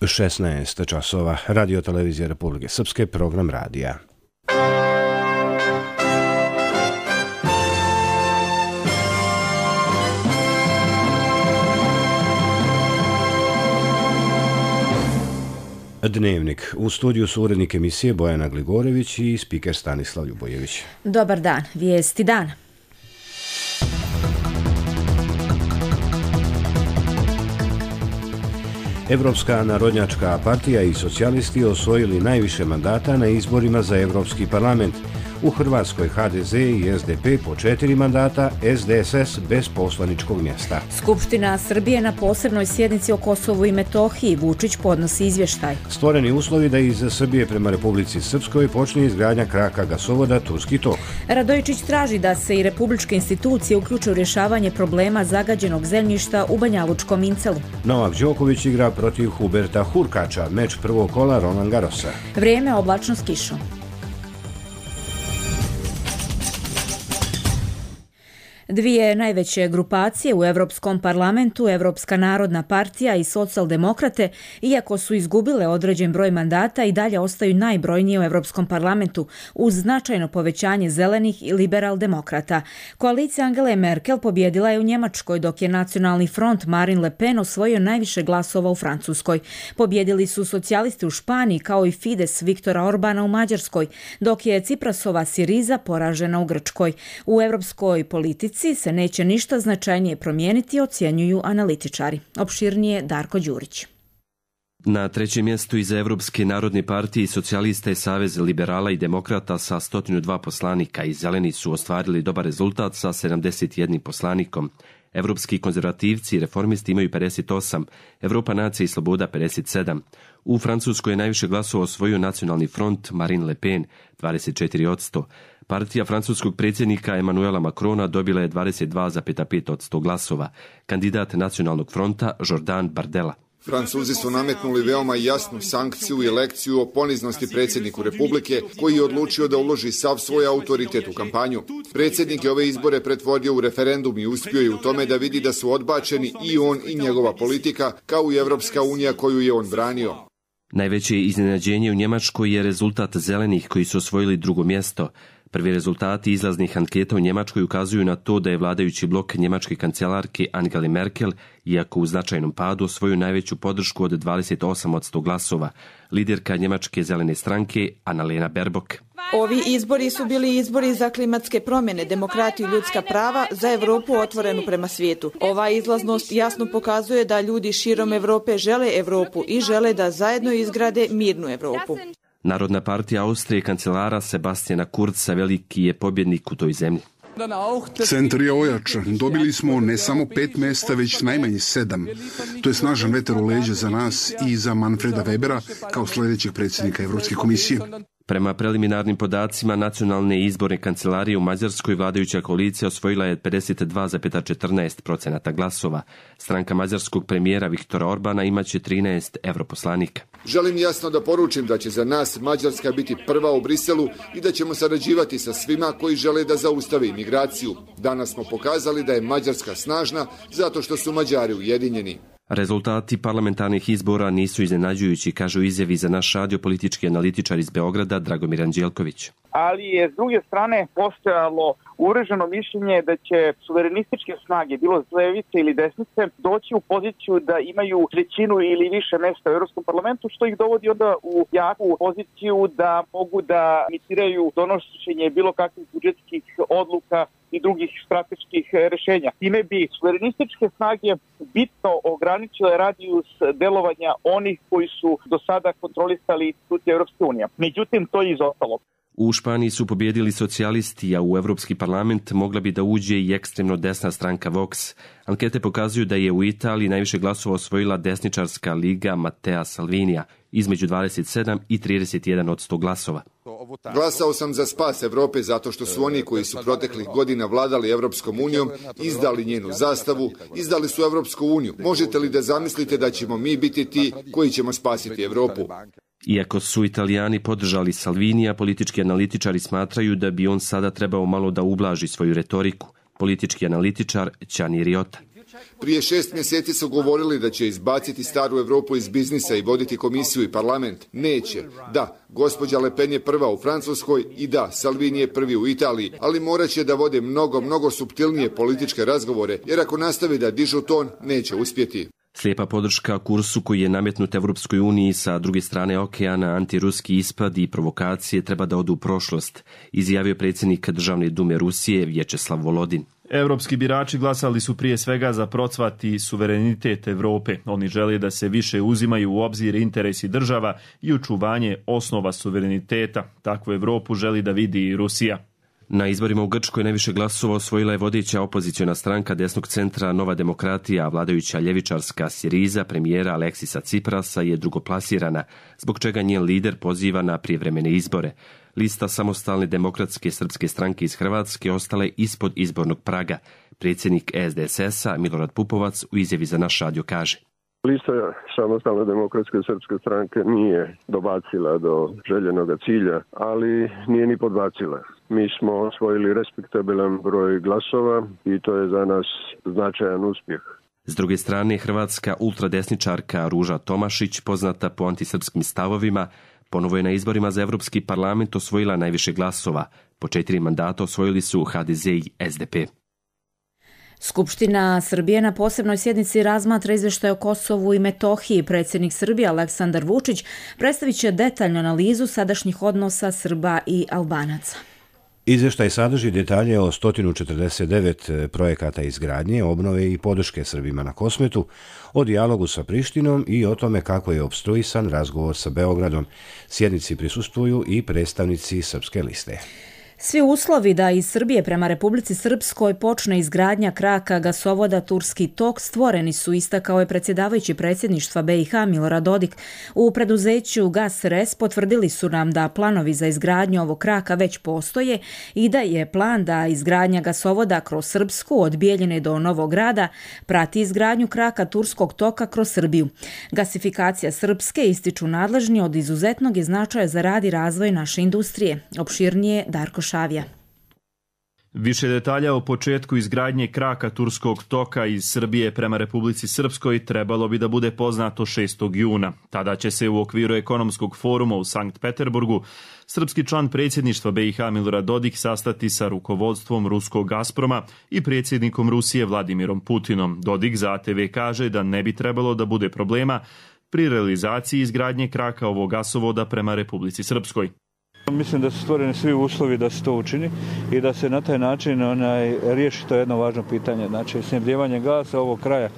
16 časova. Radio televizija Republike Srpske, program radija. Dnevnik. U studiju su urednik emisije Bojana Gligorević i spiker Stanislav Ljubojević. Dobar dan. Vijesti dana. Evropska narodnjačka partija i socijalisti osvojili najviše mandata na izborima za Evropski parlament. U Hrvatskoj HDZ i SDP po 4 mandata, SDSS bez poslaničkog mjesta. Skupština Srbije na posebnoj sjednici o Kosovu i Metohiji. Vučić podnosi izvještaj. Stvoreni uslovi da iz Srbije prema Republici Srpskoj počne izgradnja kraka gasovoda Turski tok. Radojičić traži da se i republičke institucije uključe u rješavanje problema zagađenog zemljišta u Banjalučkom Incelu. Novak Đoković igra protiv Huberta Hurkača, meč prvog kola Roland Garrosa. Vrijeme oblačno s kišom. Dvije najveće grupacije u Europskom parlamentu, Evropska narodna partija i socijaldemokrate, iako su izgubile određen broj mandata, i dalje ostaju najbrojnije u Europskom parlamentu, uz značajno povećanje zelenih i liberal-demokrata. Koalicija Angele Merkel pobjedila je u Njemačkoj, dok je Nacionalni front Marine Le Pen osvojio najviše glasova u Francuskoj. Pobjedili su socijalisti u Španiji, kao i Fides Viktora Orbana u Mađarskoj, dok je Ciprasova Siriza poražena u Grčkoj. U europskoj politici se neće ništa značajnije promijeniti, ocjenjuju analitičari. Opširnije Darko Đurić. Na trećem mjestu iza Evropske narodne partije i socijalista je Savez liberala i demokrata sa 102 poslanika i zeleni su ostvarili dobar rezultat sa 71 poslanikom. Evropski konzervativci i reformisti imaju 58, Evropa nacija i sloboda 57. U Francuskoj je najviše glasova osvojio Nacionalni front Marine Le Pen, 24%. Partija francuskog predsjednika Emmanuela Macrona dobila je 22,5% glasova. Kandidat Nacionalnog fronta Jordan Bardella. Francuzi su nametnuli veoma jasnu sankciju i lekciju o poniznosti predsjedniku Republike, koji je odlučio da uloži sav svoj autoritet u kampanju. Predsjednik je ove izbore pretvorio u referendum i uspio je u tome da vidi da su odbačeni i on i njegova politika, kao i Evropska unija koju je on branio. Najveće iznenađenje u Njemačkoj je rezultat zelenih koji su osvojili drugo mjesto. Prvi rezultati izlaznih anketa u Njemačkoj ukazuju na to da je vladajući blok njemačke kancelarke Angele Merkel, iako u značajnom padu, osvojio najveću podršku od 28% glasova. Liderka njemačke zelene stranke Annalena Baerbock. Ovi izbori su bili izbori za klimatske promjene, demokratiju i ljudska prava, za Evropu otvorenu prema svijetu. Ova izlaznost jasno pokazuje da ljudi širom Evrope žele Evropu i žele da zajedno izgrade mirnu Evropu. Narodna partija Austrije kancelara Sebastiana Kurza veliki je pobjednik u toj zemlji. Centar je ojačan. Dobili smo ne samo 5 mjesta, već najmanje 7. To je snažan vetar u leđa za nas i za Manfreda Webera kao sljedećeg predsjednika Evropske komisije. Prema preliminarnim podacima nacionalne izborne kancelarije u Mađarskoj, vladajuća koalicija osvojila je 52,14% glasova. Stranka mađarskog premijera Viktora Orbana imaće 13 europoslanika. Želim jasno da poručim da će za nas Mađarska biti prva u Briselu i da ćemo sarađivati sa svima koji žele da zaustave imigraciju. Danas smo pokazali da je Mađarska snažna zato što su Mađari ujedinjeni. Rezultati parlamentarnih izbora nisu iznenađujući, kažu u izjavi za naš radio politički analitičar iz Beograda Dragomir Anđelković. Ali je s druge strane postojalo uvreženo mišljenje da će suverenističke snage, bilo s levice ili desnice, doći u poziciju da imaju trećinu ili više mjesta u Europskom parlamentu, što ih dovodi onda u jaku poziciju da mogu da iniciraju donošenje bilo kakvih budžetskih odluka i drugih strateških rješenja. Time bi suverenističke snage bitno ograničile radijus delovanja onih koji su do sada kontrolisali institucije Europske unije. Međutim, to je izostalo. U Španiji su pobjedili socijalisti, a u Evropski parlament mogla bi da uđe i ekstremno desna stranka Vox. Ankete pokazuju da je u Italiji najviše glasova osvojila desničarska liga Matteo Salvinija, između 27 i 31% glasova. Glasao sam za spas Evrope zato što su oni koji su proteklih godina vladali Evropskom unijom izdali njenu zastavu, izdali su Evropsku uniju. Možete li da zamislite da ćemo mi biti ti koji ćemo spasiti Evropu? Iako su Italijani podržali Salvinija, politički analitičari smatraju da bi on sada trebao malo da ublaži svoju retoriku. Politički analitičar Gianni Riotta. Prije 6 mjeseci su govorili da će izbaciti staru Europu iz biznisa i voditi komisiju i parlament. Neće. Da, gospođa Le Pen je prva u Francuskoj i da, Salvini je prvi u Italiji, ali morat će da vode mnogo suptilnije političke razgovore, jer ako nastavi da dižu ton, neće uspjeti. Slijepa podrška kursu koji je nametnut Evropskoj uniji sa druge strane okeana, antiruski ispad i provokacije treba da odu u prošlost, izjavio predsjednik Državne dume Rusije Vječeslav Volodin. Evropski birači glasali su prije svega za procvat i suverenitet Europe. Oni žele da se više uzimaju u obzir interesi država i očuvanje osnova suvereniteta. Takvu Europu želi da vidi i Rusija. Na izborima u Grčkoj najviše glasova osvojila je vodeća opoziciona stranka desnog centra Nova demokratija, a vladajuća ljevičarska Siriza premijera Aleksisa Ciprasa je drugoplasirana, zbog čega njen lider poziva na prijevremene izbore. Lista Samostalne demokratske srpske stranke iz Hrvatske ostala je ispod izbornog praga. Predsjednik SDSS-a Milorad Pupovac u izjavi za naš radio kaže: Lista Samostalne demokratske srpske stranke nije dobacila do željenog cilja, ali nije ni podbacila. Mi smo osvojili respektabilan broj glasova i to je za nas značajan uspjeh. S druge strane, hrvatska ultradesničarka Ruža Tomašić, poznata po antisrpskim stavovima, ponovo je na izborima za Evropski parlament osvojila najviše glasova. Po 4 mandata osvojili su HDZ i SDP. Skupština Srbije na posebnoj sjednici razmatra izvještaj o Kosovu i Metohiji. Predsjednik Srbije Aleksandar Vučić predstavit će detaljnu analizu sadašnjih odnosa Srba i Albanaca. Izvještaj sadrži detalje o 149 projekata izgradnje, obnove i podrške Srbima na Kosmetu, o dijalogu sa Prištinom i o tome kako je opstruisan razgovor sa Beogradom. Sjednici prisustvuju i predstavnici Srpske liste. Svi uslovi da iz Srbije prema Republici Srpskoj počne izgradnja kraka gasovoda Turski tok stvoreni su, istakao je predsjedavajući predsjedništva BiH Milorad Dodik. U preduzeću GasRes potvrdili su nam da planovi za izgradnju ovog kraka već postoje i da je plan da izgradnja gasovoda kroz Srpsku od Bijeljine do Novog Grada prati izgradnju kraka Turskog toka kroz Srbiju. Gasifikacija Srpske, ističu nadležni, od izuzetnog je značaja za rad i razvoj naše industrije. Opširnije Darko Šavija. Više detalja o početku izgradnje kraka Turskog toka iz Srbije prema Republici Srpskoj trebalo bi da bude poznato 6. juna. Tada će se u okviru ekonomskog foruma u Sankt Peterburgu srpski član predsjedništva BiH Milorad Dodik sastati sa rukovodstvom ruskog Gazproma i predsjednikom Rusije Vladimirom Putinom. Dodik za ATV kaže da ne bi trebalo da bude problema pri realizaciji izgradnje kraka ovog gasovoda prema Republici Srpskoj. Mislim da su stvoreni svi uslovi da se to učini i da se na taj način riješi to jedno važno pitanje. Znači, snabdijevanje gasa ovog kraja,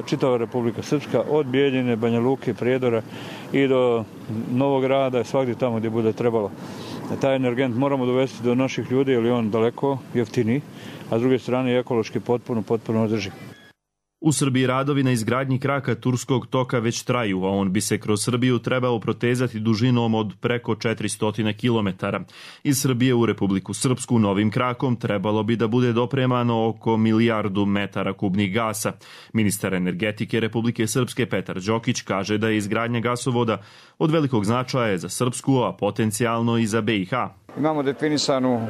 čitava Republika Srpska, od Bijeljine, Banja Luke, Prijedora i do Novog Grada, svagdje tamo gdje bude trebalo. Taj energent moramo dovesti do naših ljudi jer je on daleko jeftiniji, a s druge strane je ekološki potpuno održiv. U Srbiji radovi na izgradnji kraka Turskog toka već traju, a on bi se kroz Srbiju trebao protezati dužinom od preko 400 km. Iz Srbije u Republiku Srpsku novim krakom trebalo bi da bude dopremano oko 1 milijardu metara kubnih gasa. Ministar energetike Republike Srpske Petar Đokić kaže da je izgradnja gasovoda od velikog značaja za Srpsku, a potencijalno i za BiH. Imamo definisanu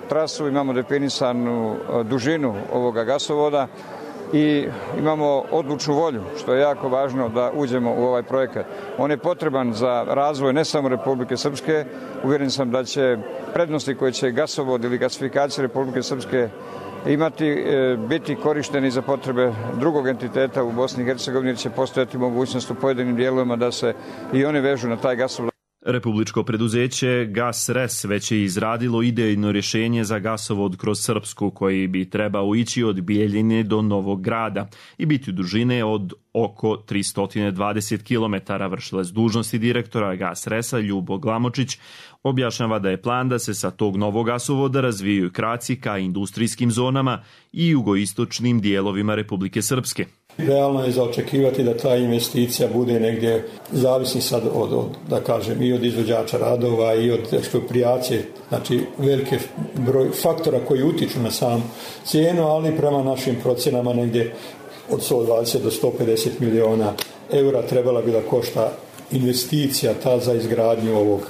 trasu, imamo definisanu dužinu ovoga gasovoda i imamo odlučnu volju, što je jako važno da uđemo u ovaj projekat. On je potreban za razvoj ne samo Republike Srpske, uvjeren sam da će prednosti koje će gasovod ili gasifikacija Republike Srpske imati biti korišteni za potrebe drugog entiteta u Bosni i Hercegovini, jer će postojati mogućnost u pojedinim dijelovima da se i one vežu na taj gasovod. Republičko preduzeće GasRes već je izradilo idejno rješenje za gasovod kroz Srpsku koji bi trebao ići od Bijeljine do Novog Grada i biti dužine od oko 320 km. Vršilac dužnosti direktora GasResa Ljubo Glamočić objašnjava da je plan da se sa tog novog gasovoda razvijaju kraci ka industrijskim zonama i jugoistočnim dijelovima Republike Srpske. Realno je za očekivati da ta investicija bude negdje, zavisni sad da kažem, i od izvođača radova i od eksproprijacije, znači velike broj faktora koji utiču na sam cijenu, ali prema našim procjenama negdje od 120 do 150 milijuna eura trebala bi da košta investicija ta za izgradnju ovog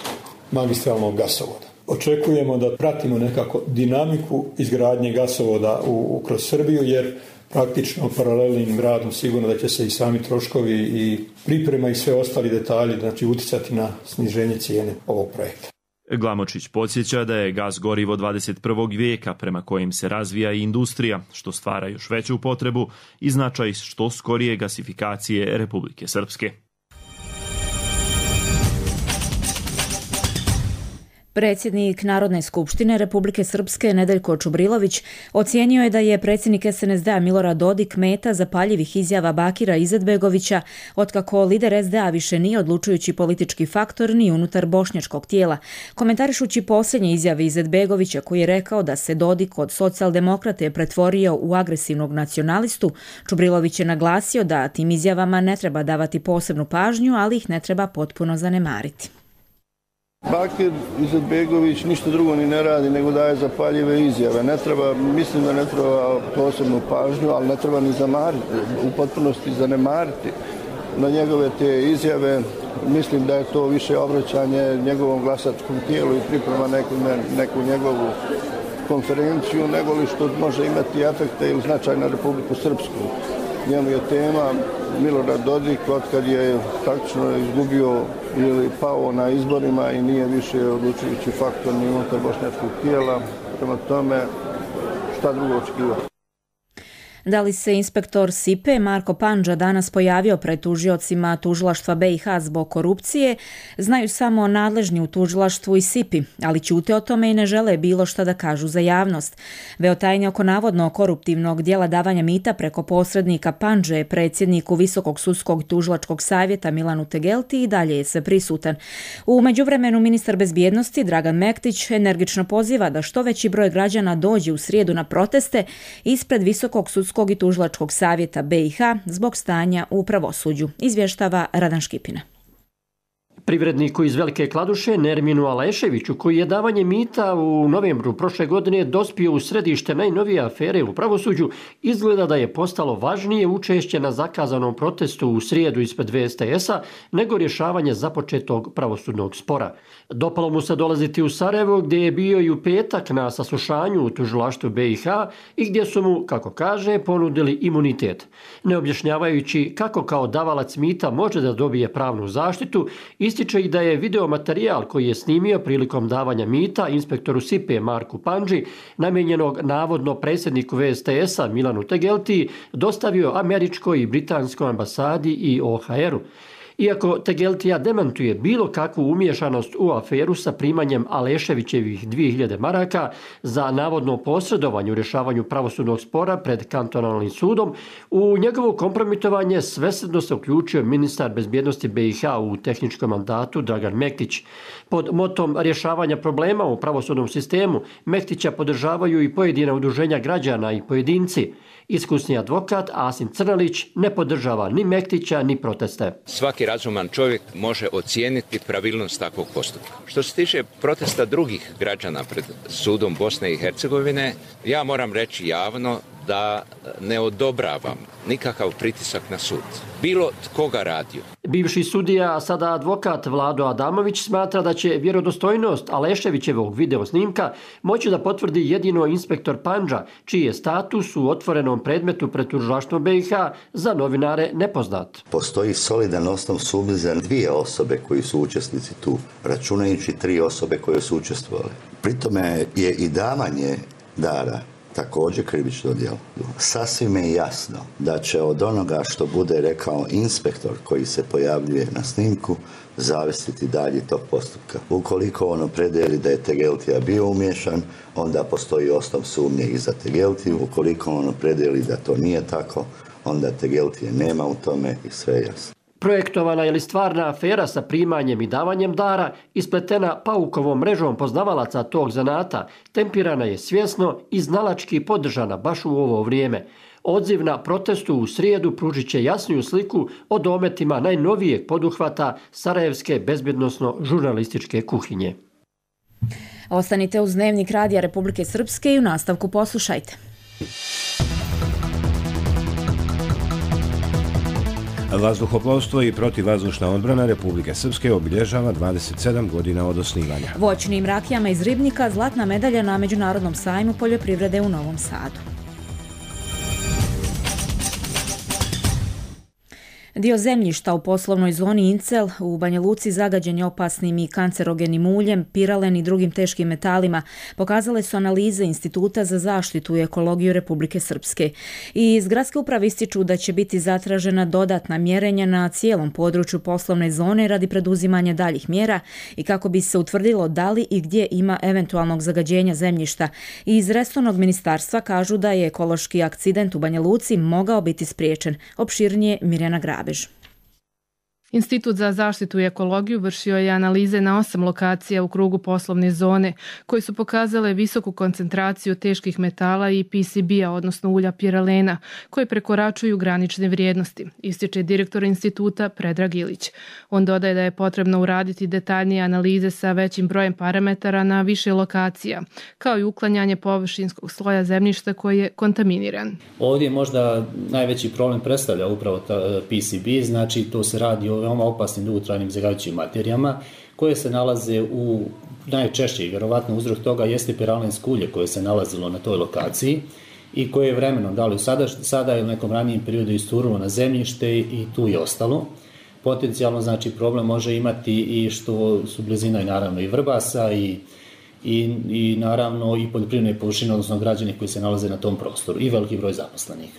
magistralnog gasovoda. Očekujemo da pratimo nekako dinamiku izgradnje gasovoda kroz Srbiju, jer praktično paralelnim radom sigurno da će se i sami troškovi i priprema i sve ostali detalji, znači uticati na sniženje cijene ovog projekta. Glamočić podsjeća da je gas gorivo 21. vijeka prema kojim se razvija i industrija, što stvara još veću potrebu i značaj što skorije gasifikacije Republike Srpske. Predsjednik Narodne skupštine Republike Srpske Nedeljko Čubrilović ocijenio je da je predsjednik SNSD-a Milorad Dodik meta zapaljivih izjava Bakira Izetbegovića, otkako lider SDA više nije odlučujući politički faktor ni unutar bošnjačkog tijela. Komentarišući posljednje izjave Izetbegovića, koji je rekao da se Dodik od socijaldemokrate pretvorio u agresivnog nacionalistu, Čubrilović je naglasio da tim izjavama ne treba davati posebnu pažnju, ali ih ne treba potpuno zanemariti. Bakir Izetbegović ništa drugo ni ne radi nego daje zapaljive izjave. Mislim da ne treba posebnu pažnju, ali ne treba ni u potpunosti zanemariti na njegove te izjave. Mislim da je to više obraćanje njegovom glasačkom tijelu i priprema neku njegovu konferenciju, nego li što može imati efekte ili značaj na Republiku Srpsku. Njemu je tema Milorad Dodik otkad je praktično izgubio ili pao na izborima i nije više odlučujući faktor ni unutar bošnjačkog tijela. Prema tome, šta drugo očekivati? Da li se inspektor SIPE Marko Pandža danas pojavio pred tužiocima tužilaštva BiH zbog korupcije, znaju samo nadležni u tužilaštvu i SIPI, ali ćute o tome i ne žele bilo šta da kažu za javnost. Veotajnje oko navodno koruptivnog dijela davanja mita preko posrednika Pandže, predsjedniku Visokog sudskog tužilačkog savjeta Milanu Tegelti, i dalje je sve prisutan. U međuvremenu ministar bezbjednosti Dragan Mektić energično poziva da što veći broj građana dođe u srijedu na proteste ispred Visokog sudskog i tužilačkog savjeta BiH zbog stanja u pravosuđu, izvještava Radan Škipina. Privredniku iz Velike Kladuše, Nerminu Aleševiću, koji je davanje mita u novembru prošle godine dospio u središte najnovije afere u pravosuđu, izgleda da je postalo važnije učešće na zakazanom protestu u srijedu ispred VSTS-a nego rješavanje započetog pravosudnog spora. Dopalo mu se dolaziti u Sarajevo, gdje je bio i u petak na saslušanju u tužilaštvu BiH i gdje su mu, kako kaže, ponudili imunitet. Ne objašnjavajući kako kao davalac mita može da dobije pravnu zaštitu, ističe i da je videomaterijal koji je snimio prilikom davanja mita inspektoru SIPE Marku Pandži, namijenjenog navodno predsjedniku VSTS-a Milanu Tegelti, dostavio američkoj i britanskoj ambasadi i OHR-u. Iako Tegeltija demantuje bilo kakvu umiješanost u aferu sa primanjem Aleševićevih 2000 maraka za navodno posredovanje u rješavanju pravosudnog spora pred kantonalnim sudom, u njegovo kompromitovanje svesrdno se uključio ministar bezbjednosti BiH u tehničkom mandatu Dragan Mektić. Pod motom rješavanja problema u pravosudnom sistemu Mektića podržavaju i pojedina udruženja građana i pojedinci. Iskusni advokat Asim Crnalić ne podržava ni Mektića ni proteste. Svaki razuman čovjek može ocijeniti pravilnost takvog postupka. Što se tiče protesta drugih građana pred sudom Bosne i Hercegovine, ja moram reći javno da ne odobravam nikakav pritisak na sud. Bilo tko ga radio. Bivši sudija, a sada advokat Vlado Adamović, smatra da će vjerodostojnost Aleševićevog videosnimka moći da potvrdi jedino inspektor Pandža, čiji je status u otvorenom predmetu pred tužilaštvom BiH za novinare nepoznat. Postoji solidan osnov sumnje za 2 osobe koji su učesnici tu, računajući 3 osobe koje su učestvovali. Pritome je i davanje dara također krivično djelo. Sasvim je jasno da će od onoga što bude rekao inspektor koji se pojavljuje na snimku zavisiti dalje tog postupka. Ukoliko on opredeli da je Tegeltija bio umiješan, onda postoji osnov sumnje i za Tegeltiju. Ukoliko on opredeli da to nije tako, onda Tegeltije nema u tome i sve je jasno. Projektovana je li stvarna afera sa primanjem i davanjem dara, ispletena paukovom mrežom poznavalaca tog zanata, tempirana je svjesno i znalački podržana baš u ovo vrijeme. Odziv na protestu u srijedu pružit će jasniju sliku o dometima najnovijeg poduhvata sarajevske bezbjednosno-žurnalističke kuhinje. Ostanite uz Dnevnik Radija Republike Srpske i u nastavku poslušajte. Vazduhoplovstvo i protivvazdušna odbrana Republike Srpske obilježava 27 godina od osnivanja. Voćnim rakijama iz Ribnika zlatna medalja na Međunarodnom sajmu poljoprivrede u Novom Sadu. Dio zemljišta u poslovnoj zoni Incel u Banja Luci zagađen je opasnim i kancerogenim uljem, piralen i drugim teškim metalima, pokazale su analize Instituta za zaštitu i ekologiju Republike Srpske. I iz gradske uprave ističu da će biti zatražena dodatna mjerenja na cijelom području poslovne zone radi preduzimanja daljih mjera i kako bi se utvrdilo da li i gdje ima eventualnog zagađenja zemljišta. I iz resornog ministarstva kažu da je ekološki akcident u Banja Luci mogao biti spriječen. Opširnije Mirjana Grabež. Institut za zaštitu i ekologiju vršio je analize na 8 lokacija u krugu poslovne zone koje su pokazale visoku koncentraciju teških metala i PCB-a, odnosno ulja piralena, koje prekoračuju granične vrijednosti, ističe direktor instituta Predrag Ilić. On dodaje da je potrebno uraditi detaljnije analize sa većim brojem parametara na više lokacija, kao i uklanjanje površinskog sloja zemljišta koji je kontaminiran. Ovdje možda najveći problem predstavlja upravo PCB, znači to se radi o veoma opasnim dugotrajnim zagađujućim materijama koje se nalaze u najčešće i vjerovatno uzrok toga jeste piralensko ulje koje se nalazilo na toj lokaciji i koje je vremenom, da li sada ili u nekom ranijem periodu isturilo na zemljište i tu je ostalo. Potencijalno znači problem može imati i što su blizina i naravno i Vrbasa i naravno i poljoprivredne površine, odnosno građani koji se nalaze na tom prostoru i veliki broj zaposlenih.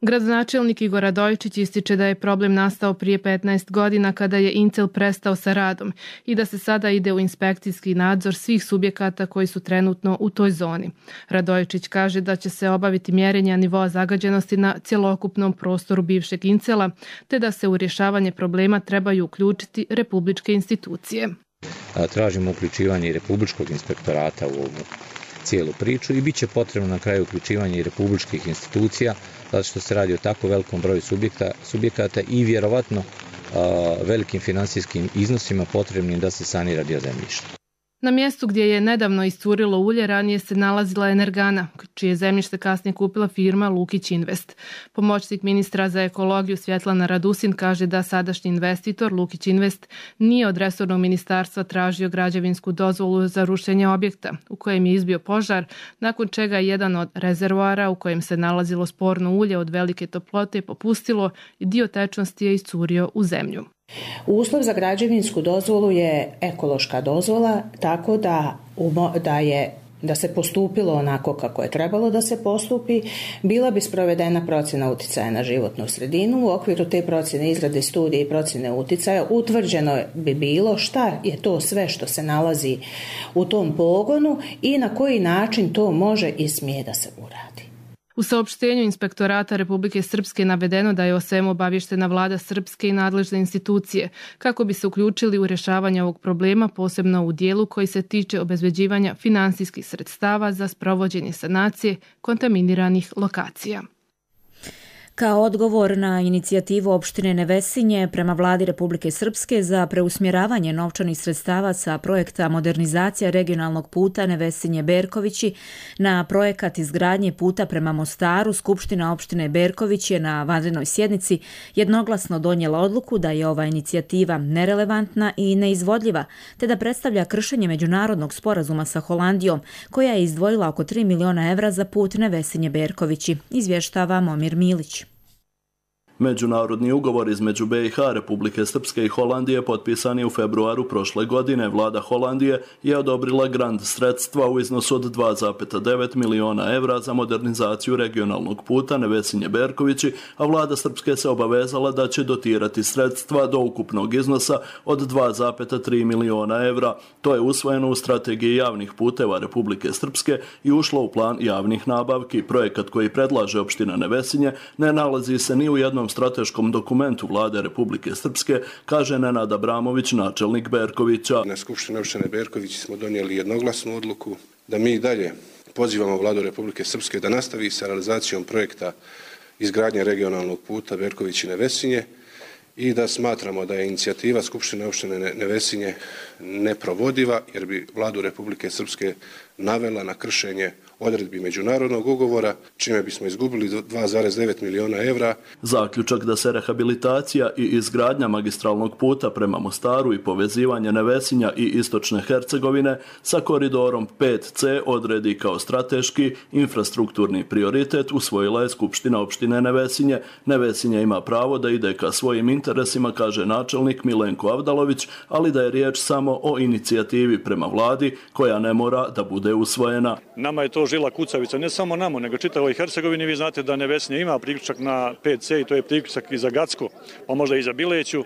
Gradonačelnik Igor Radojičić ističe da je problem nastao prije 15 godina kada je Incel prestao sa radom i da se sada ide u inspekcijski nadzor svih subjekata koji su trenutno u toj zoni. Radojičić kaže da će se obaviti mjerenja nivoa zagađenosti na cjelokupnom prostoru bivšeg Incela, te da se u rješavanje problema trebaju uključiti republičke institucije. Tražimo uključivanje i republičkog inspektorata u ovu cijelu priču i bit će potrebno na kraju uključivanje i republičkih institucija, zato što se radi o tako velikom broju subjekata i vjerovatno velikim finansijskim iznosima potrebnim da se sanira dio zemljišta. Na mjestu gdje je nedavno iscurilo ulje ranije se nalazila Energana, čije zemljište kasnije kupila firma Lukić Invest. Pomoćnik ministra za ekologiju Svjetlana Radusin kaže da sadašnji investitor Lukić Invest nije od resornog ministarstva tražio građevinsku dozvolu za rušenje objekta u kojem je izbio požar, nakon čega je jedan od rezervoara u kojem se nalazilo sporno ulje od velike toplote popustilo i dio tečnosti je iscurio u zemlju. Uslov za građevinsku dozvolu je ekološka dozvola, tako da se postupilo onako kako je trebalo da se postupi, bila bi sprovedena procjena uticaja na životnu sredinu. U okviru te procjene izrade studije i procjene uticaja utvrđeno bi bilo šta je to sve što se nalazi u tom pogonu i na koji način to može i smije da se uradi. U saopštenju Inspektorata Republike Srpske navedeno da je o svemu obavještena vlada Srpske i nadležne institucije kako bi se uključili u rješavanje ovog problema, posebno u dijelu koji se tiče obezbeđivanja finansijskih sredstava za sprovođenje sanacije kontaminiranih lokacija. Kao odgovor na inicijativu opštine Nevesinje prema vladi Republike Srpske za preusmjeravanje novčanih sredstava sa projekta modernizacija regionalnog puta Nevesinje-Berkovići na projekat izgradnje puta prema Mostaru, Skupština opštine Berković je na vanrednoj sjednici jednoglasno donijela odluku da je ova inicijativa nerelevantna i neizvodljiva, te da predstavlja kršenje međunarodnog sporazuma sa Holandijom, koja je izdvojila oko 3 miliona evra za put Nevesinje-Berkovići, izvještava Momir Milić. Međunarodni ugovor između BiH, Republike Srpske i Holandije potpisan je u februaru prošle godine. Vlada Holandije je odobrila grant sredstva u iznosu od 2,9 miliona evra za modernizaciju regionalnog puta Nevesinje-Berkovići, a vlada Srpske se obavezala da će dotirati sredstva do ukupnog iznosa od 2,3 miliona evra. To je usvojeno u strategiji javnih puteva Republike Srpske i ušlo u plan javnih nabavki. Projekat koji predlaže opština Nevesinje ne nalazi se ni u jednom strateškom dokumentu vlade Republike Srpske, kaže Nenad Abramović, načelnik Berkovića. Na Skupštini opštine Berković smo donijeli jednoglasnu odluku da mi dalje pozivamo vladu Republike Srpske da nastavi sa realizacijom projekta izgradnje regionalnog puta Berković i Nevesinje i da smatramo da je inicijativa Skupštine opštine Nevesinje neprovodiva jer bi vladu Republike Srpske navela na kršenje odredbi međunarodnog ugovora, čime bismo izgubili 2,9 miliona evra. Zaključak da se rehabilitacija i izgradnja magistralnog puta prema Mostaru i povezivanje Nevesinja i istočne Hercegovine sa koridorom 5C odredi kao strateški infrastrukturni prioritet usvojila je Skupština opštine Nevesinje. Nevesinje ima pravo da ide ka svojim interesima, kaže načelnik Milenko Avdalović, ali da je riječ samo o inicijativi prema vladi koja ne mora da bude usvojena. Nama je to žila kucavica, ne samo nama, nego čitavoj Hercegovini. Vi znate da Nevesinje ima priključak na 5C i to je priključak i za Gacko, pa možda i za Bileću.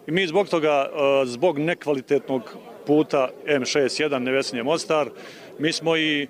I mi zbog toga, zbog nekvalitetnog puta M61 Nevesinje-Mostar, mi smo i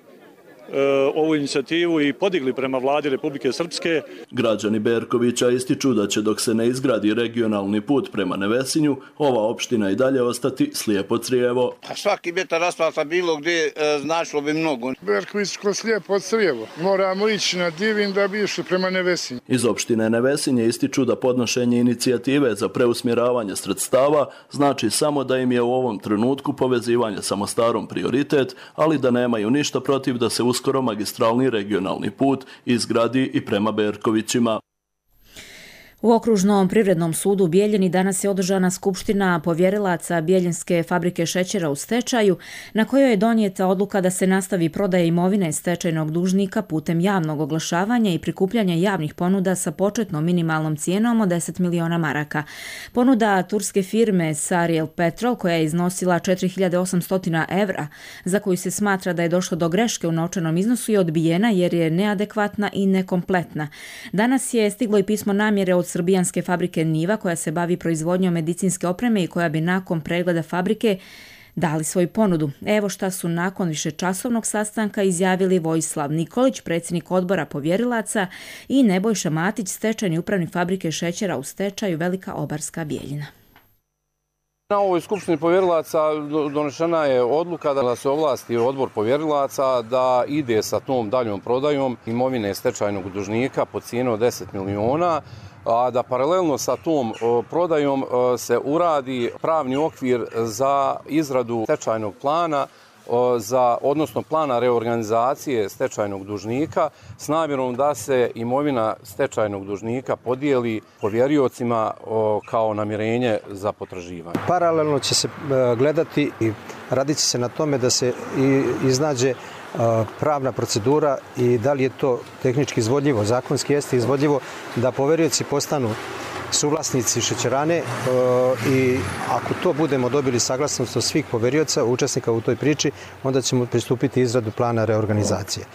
ovu inicijativu i podigli prema vladi Republike Srpske. Građani Berkovića ističu da će dok se ne izgradi regionalni put prema Nevesinju, ova opština i dalje ostati slijepo crijevo. Svaki metar asfalta bilo gdje značilo bi mnogo. Berkovićko slijepo crijevo. Moramo ići na Divin da bi išli prema Nevesinju. Iz opštine Nevesinje ističu da podnošenje inicijative za preusmjeravanje sredstava znači samo da im je u ovom trenutku povezivanje sa Mostarom prioritet, ali da nemaju ništa protiv da se uskoro magistralni regionalni put izgradi i prema Berkovićima. U Okružnom privrednom sudu u Bijeljini danas je održana skupština povjerilaca Bijeljinske fabrike šećera u stečaju, na kojoj je donijeta odluka da se nastavi prodaja imovine stečajnog dužnika putem javnog oglašavanja i prikupljanja javnih ponuda sa početnom minimalnom cijenom od 10 miliona maraka. Ponuda turske firme Sariel Petrol, koja je iznosila 4800 evra, za koju se smatra da je došlo do greške u novčanom iznosu, je odbijena jer je neadekvatna i nekompletna. Danas je stiglo i pismo namjere od srbijanske fabrike Niva, koja se bavi proizvodnjom medicinske opreme i koja bi nakon pregleda fabrike dali svoju ponudu. Evo šta su nakon višečasovnog sastanka izjavili Vojislav Nikolić, predsjednik odbora povjerilaca, i Nebojša Matić, stečajni upravnik fabrike šećera u stečaju Velika Obarska Bijeljina. Na ovoj skupštini povjerilaca donešena je odluka da se ovlasti odbor povjerilaca da ide sa tom daljom prodajom imovine stečajnog dužnika po cijenu od 10 miliona, a da paralelno sa tom prodajom se uradi pravni okvir za izradu stečajnog plana, odnosno plana reorganizacije stečajnog dužnika s namjerom da se imovina stečajnog dužnika podijeli povjeriocima kao namirenje za potraživanje. Paralelno će se gledati i radit će se na tome da se iznađe pravna procedura i da li je to tehnički izvodljivo, zakonski jeste izvodljivo da poverioci postanu suvlasnici šećerane i ako to budemo dobili saglasnost od svih poverioca, učesnika u toj priči, onda ćemo pristupiti izradu plana reorganizacije.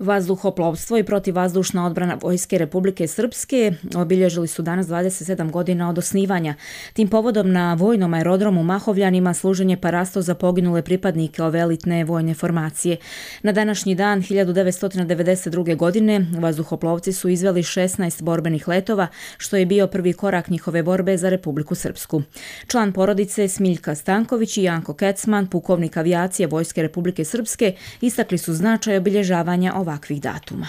Vazduhoplovstvo i protivvazdušna odbrana Vojske Republike Srpske obilježili su danas 27 godina od osnivanja. Tim povodom na vojnom aerodromu Mahovljanima služen je parasto za poginule pripadnike ove elitne vojne formacije. Na današnji dan 1992. godine vazduhoplovci su izveli 16 borbenih letova, što je bio prvi korak njihove borbe za Republiku Srpsku. Član porodice Smiljka Stanković i Janko Kecman, pukovnik avijacije Vojske Republike Srpske, istakli su značaj obilježavanja ovakvih datuma.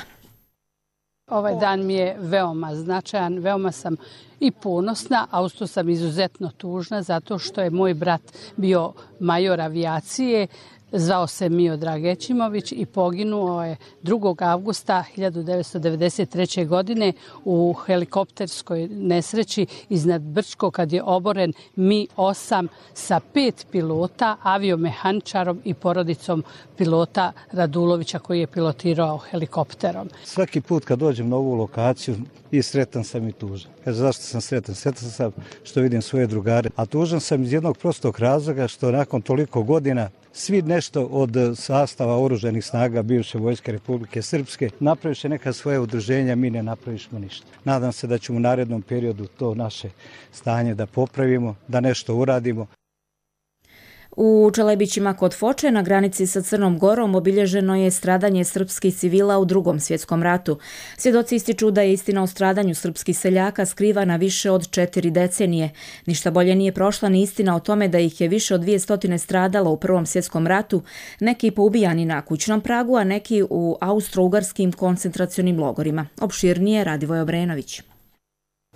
Ovaj dan mi je veoma značajan, veoma sam i ponosna, a uz to sam izuzetno tužna zato što je moj brat bio major avijacije, zvao se Mio Dragećimović i poginuo je 2. avgusta 1993. godine u helikopterskoj nesreći iznad Brčko kad je oboren Mi-8 sa 5 pilota, aviomehaničarom i porodicom pilota Radulovića koji je pilotirao helikopterom. Svaki put kad dođem na ovu lokaciju i sretan sam i tužan. Zašto sam sretan? Sretan sam što vidim svoje drugare, a tužan sam iz jednog prostog razloga što nakon toliko godina svi nešto od sastava oružanih snaga bivše Vojske Republike Srpske napraviše neka svoje udruženja, mi ne napravišmo ništa. Nadam se da ćemo u narednom periodu to naše stanje da popravimo, da nešto uradimo. U Čelebićima kod Foče na granici sa Crnom Gorom obilježeno je stradanje srpskih civila u Drugom svjetskom ratu. Svjedoci ističu da je istina o stradanju srpskih seljaka skrivana više od 4 decenije. Ništa bolje nije prošla ni istina o tome da ih je više od 200 stradalo u Prvom svjetskom ratu, neki poubijani na kućnom pragu, a neki u austro-ugarskim koncentracionim logorima. Opširnije Radivoj Obrenović.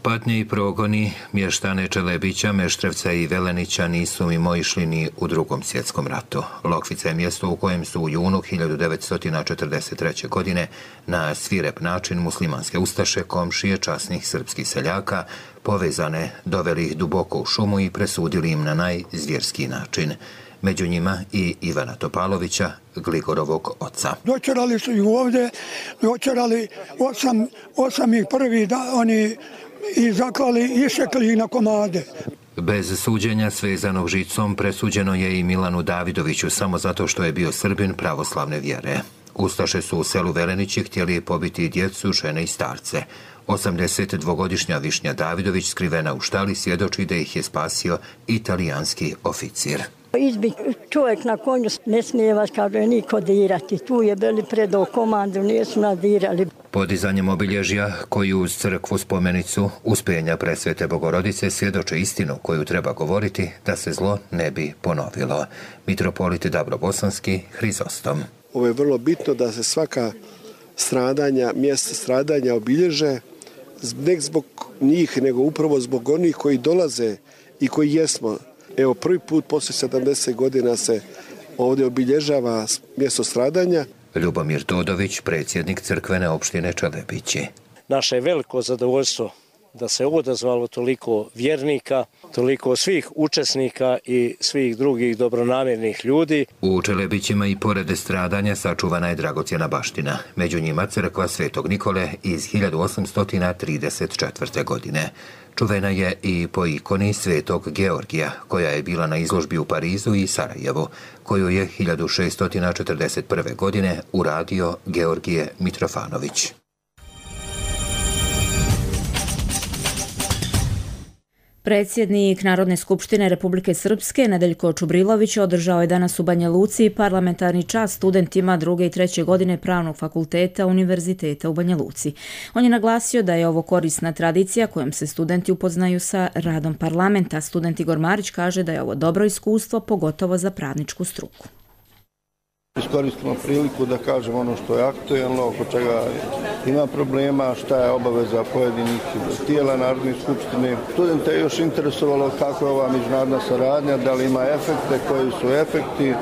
Patnje i progoni mještane Čelebića, Meštrevca i Velenića nisu mimoišli ni u Drugom svjetskom ratu. Lokvica je mjesto u kojem su u junu 1943. godine na svirep način muslimanske ustaše, komšije časnih srpskih seljaka, povezane, doveli ih duboko u šumu i presudili im na najzvjerskih način. Među njima i Ivana Topalovića, Gligorovog oca. Dočerali su ih ovdje, dočerali osam ih prvi da oni i zaklali i išekli ih na komade. Bez suđenja svezanog žicom presuđeno je i Milanu Davidoviću samo zato što je bio Srbin pravoslavne vjere. Ustaše su u selu Velenići htjeli pobiti djecu, žene i starce. 82-godišnja Višnja Davidović, skrivena u štali, svjedoči da ih je spasio italijanski oficir. Izbi čovjek na konju, ne smije vas, kaže, niko dirati. Tu je bili predao komandu, nisu nadirali. Podizanjem obilježja koju uz crkvu spomenicu Uspenja Presvete Bogorodice svjedoče istinu koju treba govoriti da se zlo ne bi ponovilo. Mitropolit Dabrobosanski, Hrizostom. Ovo je vrlo bitno da se svaka stradanja, mjesta stradanja obilježe, ne zbog njih, nego upravo zbog onih koji dolaze i koji jesmo. Evo, prvi put poslije 70 godina se ovdje obilježava mjesto stradanja. Ljubomir Todović, predsjednik crkvene opštine Čelebići. Naše je veliko zadovoljstvo da se odazvalo toliko vjernika, toliko svih učesnika i svih drugih dobronamjernih ljudi. U Čelebićima i pored stradanja sačuvana je dragocjena baština. Među njima crkva Svetog Nikole iz 1834. godine. Čuvena je i po ikoni Svetog Georgija, koja je bila na izložbi u Parizu i Sarajevu, koju je 1641. godine uradio Georgije Mitrofanović. Predsjednik Narodne skupštine Republike Srpske Nedeljko Čubrilović održao je danas u Banja Luci parlamentarni čas studentima 2. i 3. godine Pravnog fakulteta Univerziteta u Banja Luci. On je naglasio da je ovo korisna tradicija kojom se studenti upoznaju sa radom parlamenta. Student Igor Marić kaže da je ovo dobro iskustvo, pogotovo za pravničku struku. Iskoristimo priliku da kažemo ono što je aktuelno, oko čega ima problema, šta je obaveza pojedinih tijela Narodne skupštine. Studente je još interesovalo kako je ova međunarodna saradnja, da li ima efekte, koji su efekti.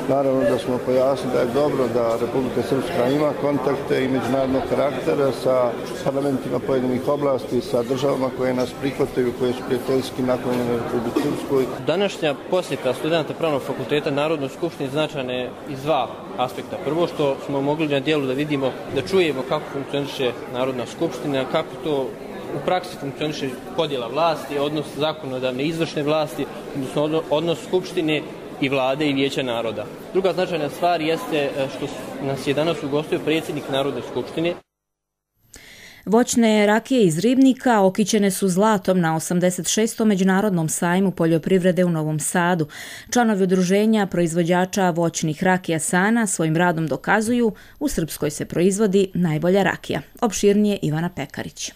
Naravno da smo pojasnili da je dobro da Republika Srpska ima kontakte i međunarodnog karaktera sa parlamentima pojedinih oblasti, sa državama koje nas prihvataju, koje su prijateljski naklonjene Republike Srpskoj. Današnja posjeta studenta Pravnog fakulteta Narodnoj skupštini značajna je iz dva aspekta. Prvo što smo mogli na dijelu da vidimo, da čujemo kako funkcioniše Narodna skupština, kako to u praksi funkcioniše podjela vlasti, odnos zakonodavne i izvršne vlasti, odnosno odnos skupštine i vlade i vijeća naroda. Druga značajna stvar jeste što nas je danas ugostio predsjednik Narodne skupštine. Voćne rakije iz ribnika okićene su zlatom na 86. Međunarodnom sajmu poljoprivrede u Novom Sadu. Članovi udruženja proizvođača voćnih rakija Sana svojim radom dokazuju u Srpskoj se proizvodi najbolja rakija. Opširnije Ivana Pekarić.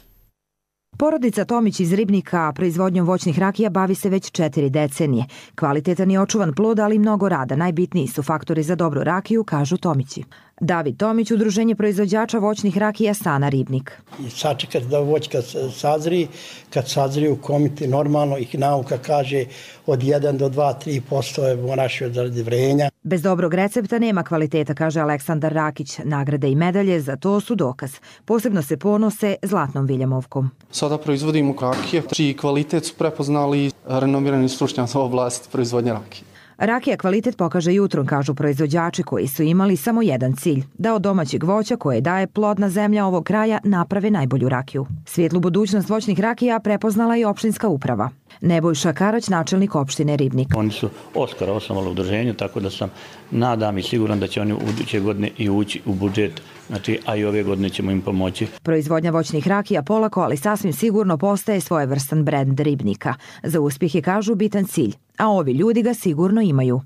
Porodica Tomić iz Ribnika proizvodnjom voćnih rakija bavi se već 4 decenije. Kvalitetan i očuvan plod, ali mnogo rada. Najbitniji su faktori za dobru rakiju, kažu Tomići. David Tomić, udruženje proizvođača voćnih rakija Sana Ribnik. Sačekati da voćka sazri, kad sazri u komiti normalno ih nauka kaže od 1 do 2-3% je moraš od vrenja. Bez dobrog recepta nema kvaliteta, kaže Aleksandar Rakić. Nagrade i medalje za to su dokaz. Posebno se ponose zlatnom viljamovkom. Sada proizvodimo rakije, čiji kvalitet su prepoznali renomirani stručnjaci u oblasti proizvodnje rakije. Rakija kvalitet pokaže jutrom, kažu proizvođači koji su imali samo jedan cilj, da od domaćeg voća koje daje plodna zemlja ovog kraja naprave najbolju rakiju. Svijetlu budućnost voćnih rakija prepoznala i opštinska uprava. Nebojša Karać, načelnik opštine Ribnik. Oni su oskora osnovali udruženju, tako da sam nadam i siguran da će oni u buduće godine i ući u budžet, znači, a i ove godine ćemo im pomoći. Proizvodnja voćnih rakija polako, ali sasvim sigurno postaje svojevrstan brend Ribnika. Za uspjeh je, kažu, bitan cilj, a ovi ljudi ga sigurno imaju.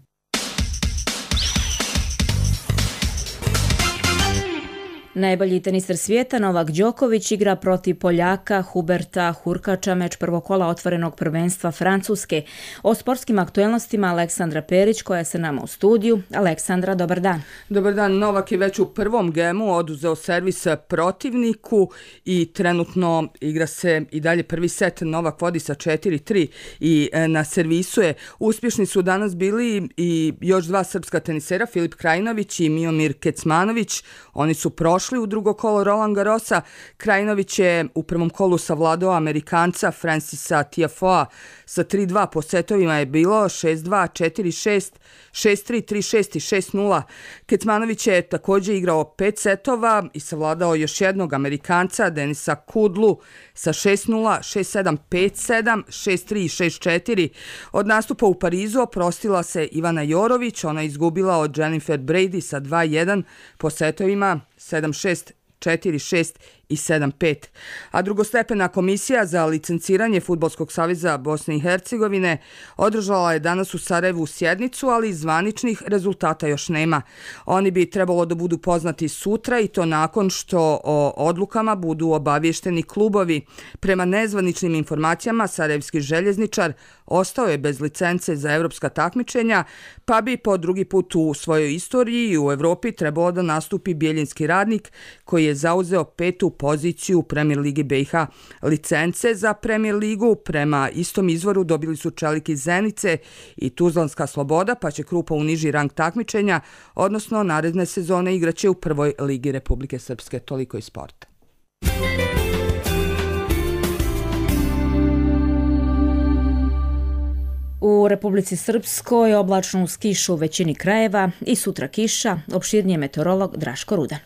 Najbolji teniser svijeta Novak Đoković igra protiv Poljaka Huberta Hurkača, meč prvog kola otvorenog prvenstva Francuske. O sportskim aktuelnostima Aleksandra Perić koja je sa nama u studiju. Aleksandra, dobar dan. Dobar dan. Novak je već u prvom gemu oduzeo servis protivniku i trenutno igra se i dalje prvi set. Novak vodi sa 4-3 i na servisu je. Uspješni su danas bili i još dva srpska tenisera, Filip Krajinović i Miomir Kecmanović. Oni su prošli u drugo kolo Roland Garrosa. Krajinović je u prvom kolu savladao Amerikanca Francisa Tiafoea sa 3-2. Po setovima je bilo 6-2, 4-6, 6-3, 3-6 i 6-0. Kecmanović je također igrao 5 setova i savladao još jednog Amerikanca Denisa Kudlu sa 6-0, 6-7, 5-7, 6-3 i 6-4. Od nastupa u Parizu oprostila se Ivana Jorović, ona je izgubila od Jennifer Brady sa 2-1 po setovima 7-6, 4-6 i 7-5. A drugostepena komisija za licenciranje Fudbalskog saveza Bosne i Hercegovine održala je danas u Sarajevu sjednicu, ali zvaničnih rezultata još nema. Oni bi trebalo da budu poznati sutra i to nakon što o odlukama budu obavješteni klubovi. Prema nezvaničnim informacijama, sarajevski željezničar ostao je bez licence za evropska takmičenja, pa bi po drugi put u svojoj istoriji i u Evropi trebalo da nastupi Bijeljinski Radnik, koji je zauzeo 5. poziciju u Premier Ligi BiH. Licence za Premier Ligu prema istom izvoru dobili su Čelik iz Zenice i Tuzlanska Sloboda, pa će Krupa u niži rang takmičenja, odnosno naredne sezone igraće u prvoj ligi Republike Srpske. Toliko iz sporta. U Republici Srpskoj oblačno uz kišu u većini krajeva i sutra kiša, opširnije meteorolog Draško Rudan.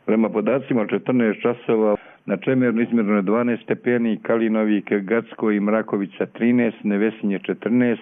Prema podacima 14 časova na Čemernu izmjereno je 12 stepeni, Kalinovik, Gacko i Mrakovica 13, Nevesinje 14,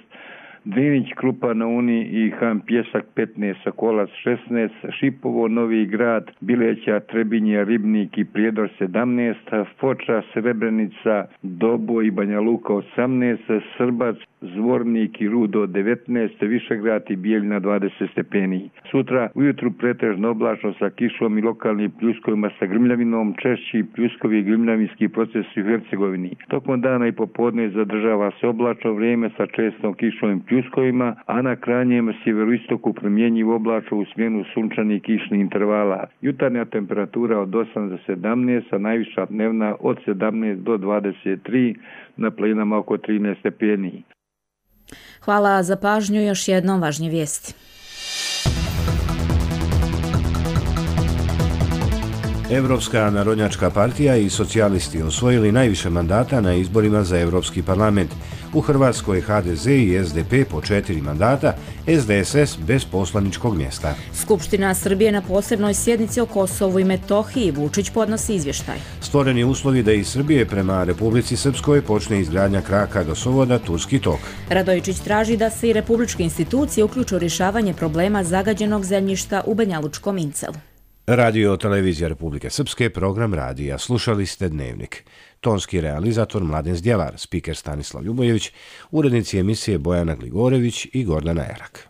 Drinić, Krupa na Uni i Han Pjesak 15, Sokolac 16, Šipovo, Novi Grad, Bileća, Trebinje, Ribnik i Prijedor 17, Foča, Srebrenica, Dobo i Banja Luka 18, Srbac, Zvornik i Rudo 19, Višegrad i Bijeljina 20 stepeni. Sutra ujutru pretežno oblačno sa kišom i lokalnim pljuskovima sa grmljavinom, češći pljuskovi i grmljavinski procesi u Hercegovini. Tokom dana i popodne zadržava se oblačno vrijeme sa čestom kišom i pljuskovima, a na krajnjem sjeveroistoku promjenjiv oblačno u smjenu sunčanih kišnih intervala. Jutarnja temperatura od 8 do 17, a najviša dnevna od 17 do 23, na planinama oko 13 stepeni. Hvala za pažnju, još jednom važnije vijesti. Evropska narodnjačka partija i socijalisti osvojili najviše mandata na izborima za Evropski parlament. U Hrvatskoj HDZ i SDP po 4 mandata, SDSS bez poslaničkog mjesta. Skupština Srbije na posebnoj sjednici o Kosovu i Metohiji. Vučić podnosi izvještaj. Stvoreni uslovi da iz Srbije prema Republici Srpskoj počne izgradnja kraka gasovoda Turski tok. Radojičić traži da se i republičke institucije uključe u rješavanje problema zagađenog zemljišta u Banjalučkom Incelu. Radio Televizija Republike Srpske, program radija. Slušali ste Dnevnik. Tonski realizator Mladen Zdjelar, spiker Stanislav Ljubojević, urednici emisije Bojana Gligorević i Gordana Erak.